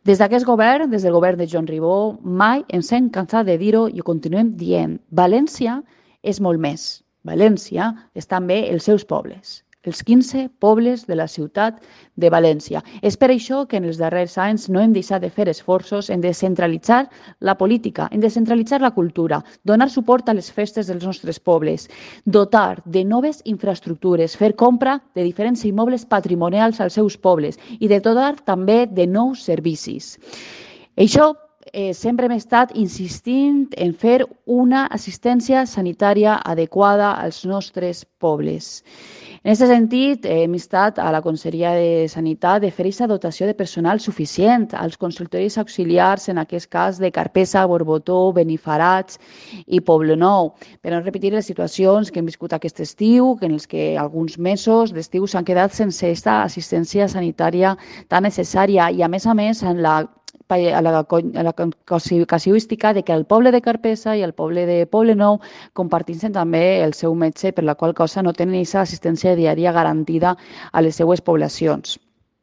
Des d'aquest govern, des del govern de Joan Ribó, mai ens hem cansat de dir-ho i ho continuem dient. València és molt més. València és també els seus pobles, els 15 pobles de la ciutat de València. És per això que en els darrers anys no hem deixat de fer esforços en descentralitzar la política, en descentralitzar la cultura, donar suport a les festes dels nostres pobles, dotar de noves infraestructures, fer compra de diferents immobles patrimonials als seus pobles i de dotar també de nous servicis. Això sempre hem estat insistint en fer una assistència sanitària adequada als nostres pobles. En aquest sentit, hem instat a la Conselleria de Sanitat de fer aquesta dotació de personal suficient als consultoris auxiliars, en aquest cas de Carpesa, Borbotó, Benifarats i Poblenou, per no repetir les situacions que hem viscut aquest estiu, en els que alguns mesos d'estiu s'han quedat sense aquesta assistència sanitària tan necessària i, a més, en la casuística de que el poble de Carpesa i el poble de Poblenou comparteixen també el seu metge, per la qual cosa no tenen aquesta assistència diària garantida a les seues poblacions.